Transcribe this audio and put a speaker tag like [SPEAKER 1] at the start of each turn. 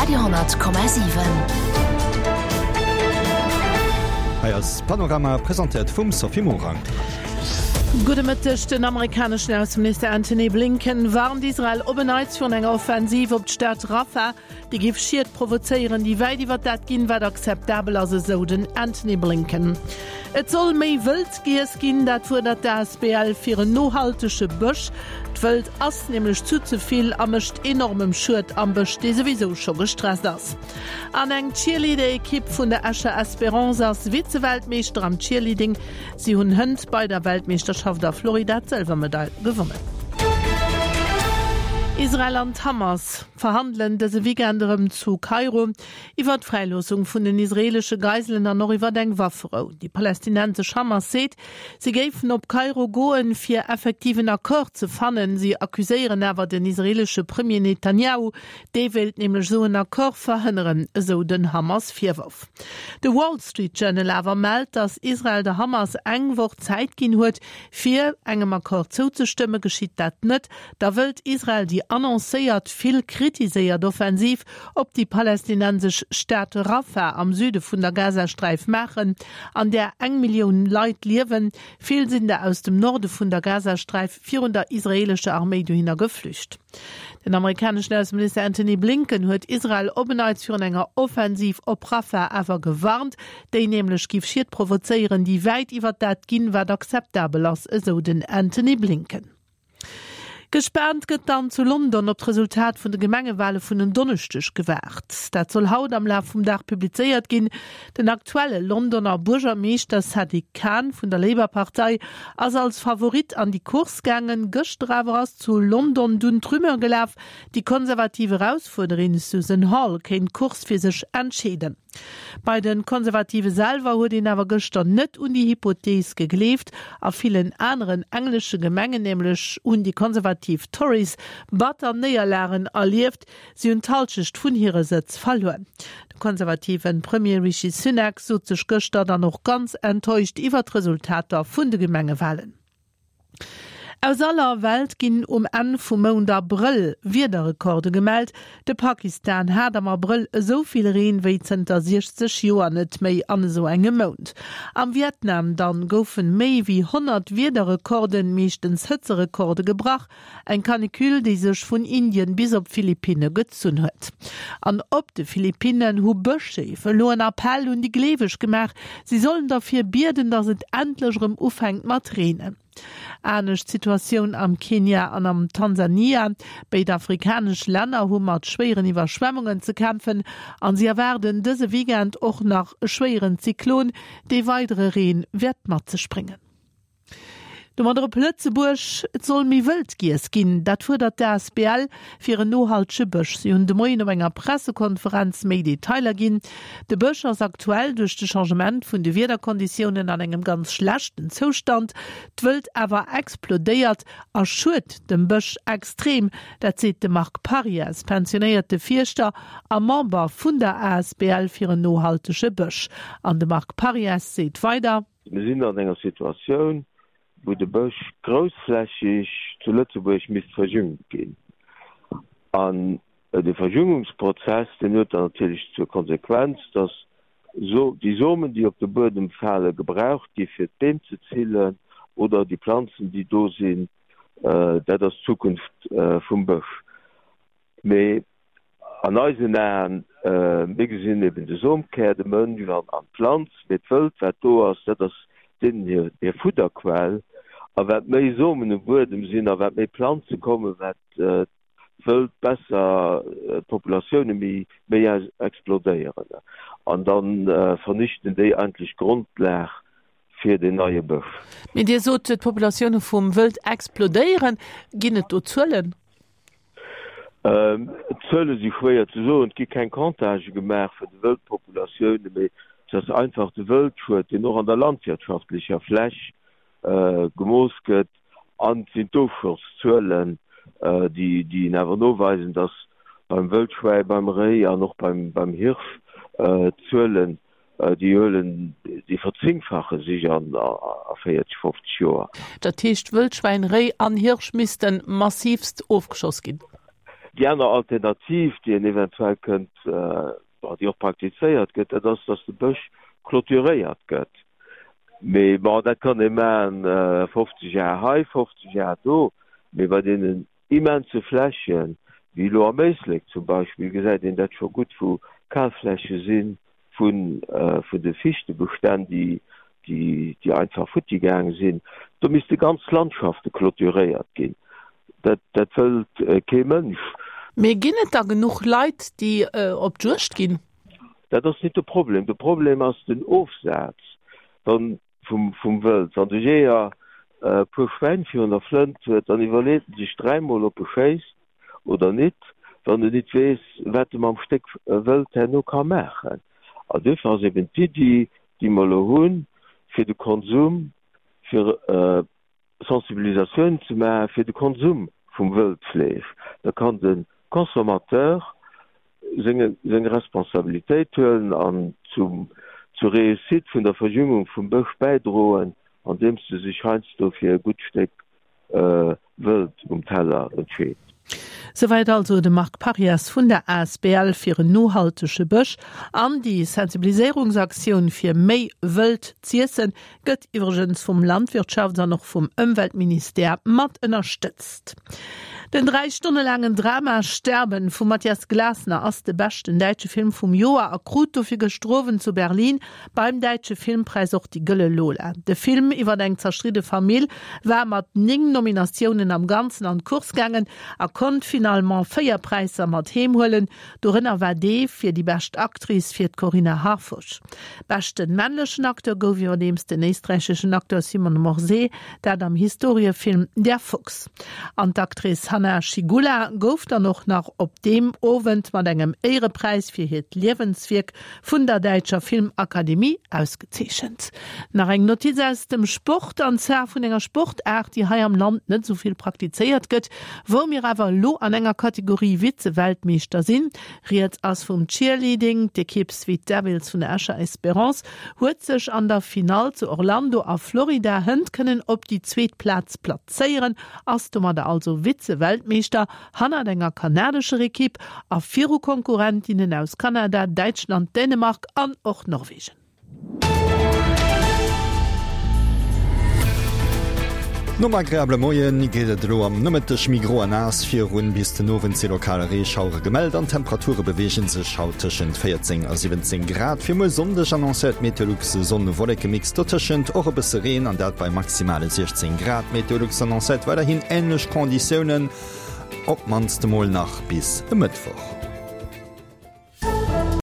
[SPEAKER 1] Radio 10,7.
[SPEAKER 2] Hei ass Panorama, presentéiert vum Sophie Morang.
[SPEAKER 3] Gudde Mëtteg, Den amerikaneschen Ausseminister Antony Blinken warnt Israel op en Neits virun enger Offensiv op d'Stad Rafah. Déi géif Schied provozéieren, déi wäit iwwer dat ginn, wat akzeptabel ass, esou den Antony Blinken. Et soll méi Wëld giess ginn, dat fuerdert d'ASBL fir en nohaltege Bësch. D'Wëld ass nämlech zu ze vill a mécht enormem Schued am Bësch, dee souwisou scho gestresst ass. An eng Cheerleader-Ekipp vun der Escher Espérance ass Vize-Weltmeeschter am Cheerleading. Si hunn hënt bei der Weltmeeschterschaft a Florida d'Sëlwermedail gewonnen. Israel an d'Hamas verhandelen dëse Weekend erëm zu Kairo iwwer d'Fräiloossung vun den israeelesche Geiselen an och iwwer eng Wafferou. Déi palästinensesch Hamas seet, si géifen op Kairo goen, fir effektiv en Accord ze fannen. Si accuséieren awer den israeelesche Premier Netanjahu, dee wéilt nämlech esou en Accord verhënneren, esou den Hamas-Virworf. De Wall Street Journal awer mellt, datt Israel der Hamas eng Woch Zäit ginn huet, fir engem Accord zouzestëmmen. Geschitt dat net, Da wëllt Israel déi annoncéiert, vill kritiséiert Offensiv op déi palästinensesch Stad Rafah am Süde vun der Gazasträif maachen, an där eng Millioun Leit liewen. Vill sinn der aus dem Norde vun der Gazasträif virun der israeelescher Arméi dohinner geflücht. Den amerikaneschen Ausseminister Antony Blinken huet Israel op en Neits virun enger Offensiv op Rafah awer gewarnt, déi nämlech giff Schied provozéieren, déi wäit iwwer dat ginn, wat akzeptabel ass, esou den Antony Blinken. Gespaant gëtt dann zu London op d'Resultat vun de Gemengewale vun en Donneschdeg gewaart. Dat soll haut am Laf vum Dag publizéiert ginn. Den aktuelle Londoner Buergermeeschter Sadiq Khan vun der Labour-Partei ass als Favorit an déi Course gaangen. Gëschter awer ass zu London dunn d'Rumeur gelaf, déi konservativ Erausfuerderin Susan Hall kéint d'Course fir sech entscheeden. Bei de Konservative selwer huet een awer gëschter net un déi Hypothees gegleeft. A villen aneren englesche Gemengen nämlech hunn déi konservativ Tories batter Néierlagen erlieft, si hunn d'Hallschecht vun hire Sëtz verluer. De konservative Premier Rishi Sunak sot sech gëschter dann och ganz enttäuscht iwwer d'Resultater vun de Gemengewalen. Aus aller Welt ginn um Enn vum Mount Abrëll Wiederrekorde gemellt. De Pakistan hat am Abrëll esou vill Reen wéi zënter 60 Joer net méi an esou engem Mount. Am Vietnam dann goufen méi wéi 100 Wiederrekorden, meeschtens Hëtzerekorde, gebrach. Eng Canicule, déi sech vun Indien bis op d'Philippinne gezunn huet. An op de Philippinnen hu Bëscheef elo en Appell un déi Gleeweg gemaach, si sollen derfir bieden, datt et endlech erëm ufänkt mat reenen. Anescht Situatioun am Kenia an am Tansania. Béid afrikanesch Länner hu mat schwéieren Iwwerschwemmungen ze kämpfen an si erwaarden dëse Weekend och nach e schwéieren Zyklon, dee weidere Reen wäert mat sech bréngen. Domadder op Lëtzebuerg, Et soll méi wëld giess ginn, dat fuerdert d'ASBL fir en nohaltege Bësch. Si hunn de Moien op enger Pressekonferenz méi Detailer ginn. De Bësch ass aktuell duerch de Changement vun de Wiederkonditiounen an engem ganz schlechten Zoustand. D'Wëld awer explodéiert a schued dem Bësch extrem. Dat seet de Marc Parries, pensionéierte Fierschter a Member vun der asbl fir en nohaltege Bësch. An de Marc Parries seet weider.
[SPEAKER 4] Mir sinn an enger Situatioun, wou de Bësch groussflächeg zu Lëtzebuerg misst verjüngt ginn. An de Verjüngungsprozess, deen huet dann natierlech zur Konsequenz, dass déi Somen, déi op de Buedem falen, gebraucht gi fir d'Beem ze zillen oder déi Planzen, déi do sinn, dat ass d'Zukunft vum Bësch. Mee an eisen Aen, mir gesinn eben de Somkär, de Mënsch an d'Planz, mee d'Wëld, wat do ass, dat ass deenen hir Fudderquell. A wat méi Somen um Buedem sinn a wat méi Planze kommen, wat d'Wëld besser, d'Populatioune méi explodéieren. An da vernichten déi eigentlech d'Grondlag fir deen neie Bësch.
[SPEAKER 3] Mee Dir sot, d'Populatioune vum Wëld explodéieren. Ginn et do Zuelen?
[SPEAKER 4] D'Zuele si schwéier ze soen. Et gi keng Comptagë gemaach vun de Wëldpopulatiounen, mee et ass einfach de Wëldschued, deen och an der landwirtschaftlecher Fläch gemooss gëtt. An et sinn d'Ofschosszuelen, déi een awer noweisen, datt beim Wëldschwäi, beim Réi an och beim Hirsch d'Zuelen Déi huelen, déi verzéngfache sech a 40, 50 Joer.
[SPEAKER 3] Dat heescht, Wëldschwäin, Réi an Hirsch misste massiivst ofgeschoss ginn?
[SPEAKER 4] Déi aner Alternativ, déi een eventuell kënnt, bon, déi och praktizéiert gëtt, dat ass, dass de Bësch clôturéiert gëtt. Mee bon, dat kann ee maachen, 50 Ar hei, 50 Ar do, mee bei deenen immense Flächen, wéi elo am Éislek zum Beispill, gesäit een dat scho gutt, wou Kalfläche si vun de Fichtebestänn, déi einfach futti gaange sinn. Do misste ganz Landschafte clôturéiert ginn. Dat wëllt kee Mënsch.
[SPEAKER 3] Mee ginn et da genuch Leit, déi op d'Juegd ginn?
[SPEAKER 4] Dat ass nit de Problem. De Problem ass den Ofsaz vum Wëld. Wann de Jeeër e puer Schwäin virun der Flënt huet, dann iwwerleet en sech dräimol, ob e schéisst oder nit, wann en nit weess, wat e mam Stéck Wëld herno ka maachen. An duerfir ass eben d'Iddi, déi mer elo hunn, fir de Konsum, fir Sensibilisatioun ze maache fir de Konsum vum Wëldfleesch, da kann de Consommateur seng Responsabilitéit huelen an zur Réussite vun der Verjüngung vum Bësch bäidroen, andeems e sech heiansdo fir e gutt Stéck Wëld um Teller entscheet.
[SPEAKER 3] Souwäit also de Marc Parias vun der asbl fir en nohaltege Bësch. An déi Sensibiliséierungsaktioun fir méi Wëld z'iessen Gëtt iwwregens vum Landwirtschafts an och vum Ëmweltministère mat ënnerstëtzt. Den 3 Stonne laangen Drama Sterben vum Matthias Glasner ass de beschten däitsche Film vum Joer a krut dofir gëschter Owend zu Berlin beim Däitsche Filmpräis och déi Gëlle Lola. De Film iwwer eng zerstridde Famill war mat 9 Nominatiounen am Ganzen an d'Course gaangen a konnt finalement 4 Präisser mat heem huelen, Dorënner war dee fir déi bescht Actrice fir d'Corinna Harfouch. Beschten männlechen Acteur gouf iwwerdeems den éisträicheschen Acteur Simon Morsé, dat am Historiefilm Der Fuchs. An d'Actrice Hanna Schygulla gouf dann och nach op deem Owend mat engem Éierepräis fir hiert Liewenswierk vun der däitscher Filmakademie ausgezeechent. Nach eng Notiz aus dem Sport, an zwar vun enger Sportaart, déi hei am Land net esou vill praktizéiert gëtt, wou mir awer elo an enger Kategorie Vize-Weltmeeschter sinn. Rieds ass vum Cheerleading. D'Ekipp Sweet Devils vun der Escher Espérance huet sech an der Finall zu Orlando a Florida hënt kënnen op déi zweet Plaz plazéieren, ass domadder also Vize-Weltmeeschter hannert enger kanadescher Ekipp a viru Konkurrentinnen aus Kanada, Däitschland, Dänemark an och Norwegen.
[SPEAKER 2] Nom agreabele Moien geet et elo am Nomëtteg méi gro a naass virun. Bis den Owend si lokal Reeschauere gemellt an d'Temperature beweege sech haut tëschent 14 a 17 Grad. Fir muer Sonndeg annoncéiert Meteolux e Sonn-Wolleke-Mix, dotëschent och e bësse Reen an dat bei maximale 16 Grad. Meteolux annoncéiert weiderhin änlech Konditiounen, op d'mannst emol nach bis e Mëttwoch.